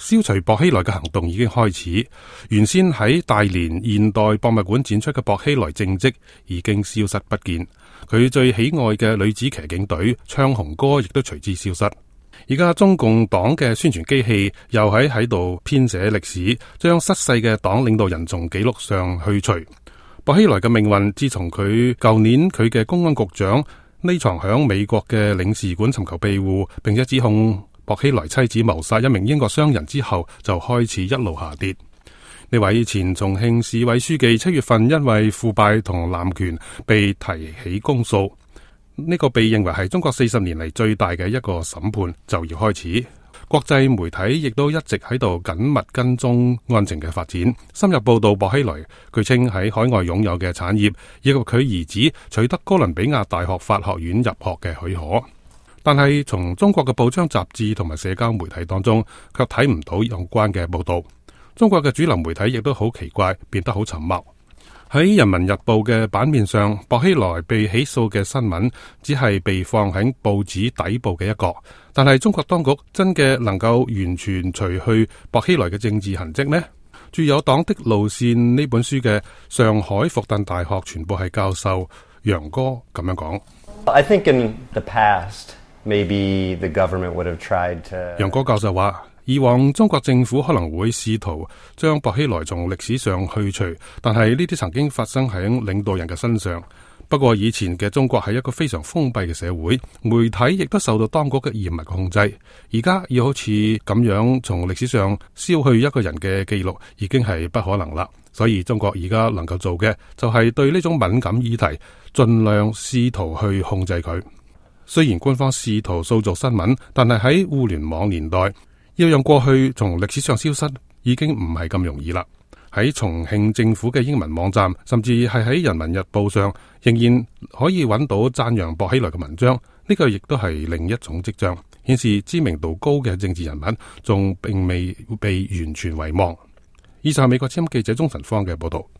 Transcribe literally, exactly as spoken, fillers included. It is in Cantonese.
消除薄熙來嘅行動已經開始。原先喺大連現代博物館展出嘅薄熙來政績已經消失不見，佢最喜愛嘅女子騎警隊唱紅歌亦都隨之消失。而家中共黨嘅宣傳機器又喺喺度編寫歷史，將失勢嘅黨領導人從記錄上去除。薄熙來嘅命運自從佢舊年佢嘅公安局長匿藏響美國嘅領事館尋求庇護，並且指控薄熙來妻子謀殺一名英國商人之後，就開始一路下跌。呢位前重慶市委書記七月份因為腐敗同濫權被提起公訴。呢個被認為係中國四十年嚟最大嘅一個審判就要開始，國際媒體亦都一直喺度緊密跟蹤案情嘅發展，深入報道薄熙來據稱喺海外擁有嘅產業，以及佢兒子取得哥倫比亞大學法學院入學嘅許可。但係從中國嘅報章雜誌同埋社交媒體當中，卻睇唔到有關嘅報道。中國嘅主流媒體亦都好奇怪，變得好沉默。喺《人民日報》嘅版面上，薄熙來被起訴嘅新聞只係被放喺報紙底部嘅一角，但係中國當局真嘅能夠完全除去薄熙來嘅政治痕跡咩？著有《黨的路線》呢本書嘅上海復旦大學傳播系教授楊哥咁樣講。I think in the past, maybe the government would have tried to... 楊哥教授話，以往中國政府可能會試圖將薄熙來從歷史上去除，但係呢啲曾經發生喺領導人嘅身上。不過以前嘅中國係一個非常封閉嘅社會，媒體亦都受到當局嘅嚴密控制。而家要好似咁樣從歷史上消去一個人嘅記錄，已經係不可能啦。所以中國而家能夠做嘅就係對呢種敏感議題盡量試圖去控制佢。雖然官方試圖塑造新聞，但係喺互聯網年代，要讓過去從歷史上消失，已經唔係咁容易啦。喺重慶政府嘅英文網站，甚至係喺《人民日報》上，仍然可以揾到讚揚薄熙來嘅文章。呢個亦都係另一種跡象，顯示知名度高嘅政治人物仲並未被完全遺忘。以上係美國之音記者鍾晨芳嘅報道。